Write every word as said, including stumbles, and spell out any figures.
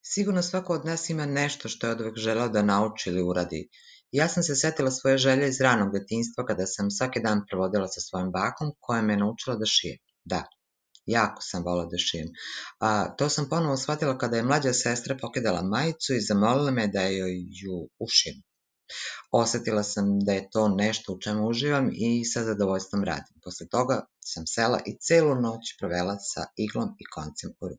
Sigurno svako od nas ima nešto što je oduvek želeo da nauči ili uradi. Ja sam se setila svoje želje iz ranog detinjstva kada sam svaki dan provodila sa svojom bakom koja me je naučila da šijem. Da, jako sam volela da šijem. A, to sam ponovo shvatila kada je mlađa sestra pokidala majicu i zamolila me da joj ju ušijem. Osetila sam da je to nešto u čemu uživam i sa zadovoljstvom radim. Posle toga sam sela i celu noć provela sa iglom i koncem u ruci.